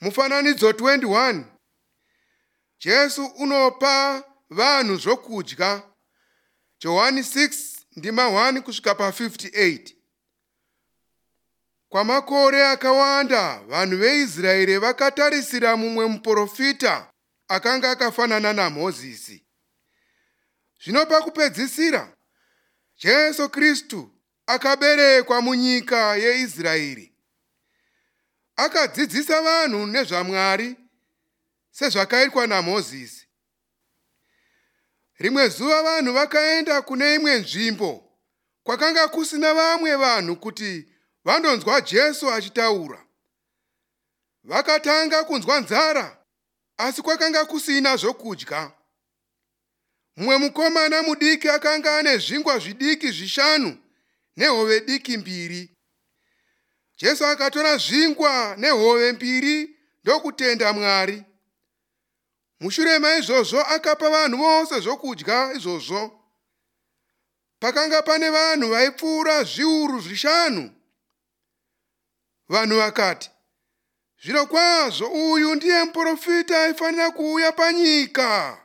Mufananidzo 21. Jesu unopa vanhu zvokudya. Johani 6 ndima 1 kusvika pa58. Kwamakore akawanda vanhu veIsraeri vakatarisira mumwe muprofita akanga akafanana naMozisi. Zvino pakupedzisira, Jesu Kristu akaberekwa munyika yeIsraeri. Akadzidzisa vanhu nezvaMwari sezvakaitwa naMozisi. Rimwe zuva vanhu vakaenda kune imwe nzvimbo kwakanga kusina vamwe vanhu kuti vandonzwa Jesu achitaura. Vakatanga kunzwa nzara, asi kwakanga kusina zvokudya. Mumwe mukomana mudiki akanga ane zvingwa zvidiki zvishanu nehove diki mbiri. Jesu akatora zvingwa nehove mbiri ndokutenda Mwari. Mushure maizvozvo akapa vanhu vose zvokudya izvozvo. Pakanga pane vanhu vaipfuura zviuru zvishanu. Vanhu vakati, "Zvirokwazvo uyu ndiye muprofita aifanira kuuya panyika."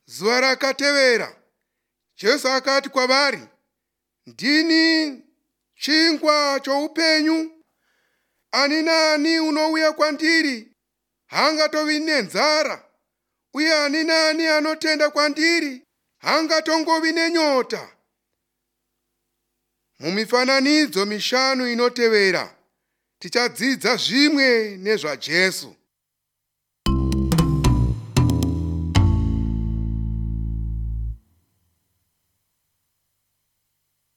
Zuva rakatevera, Jesu akati kwavari, "Ndini chingwa choupenyu. Ani naani unouya kwandiri haangatovi nenzara, uye ani naani anotenda kwandiri haangatongovi nenyota." Mumifananidzo mishanu inotevera tichadzidza zvimwe nezvaJesu.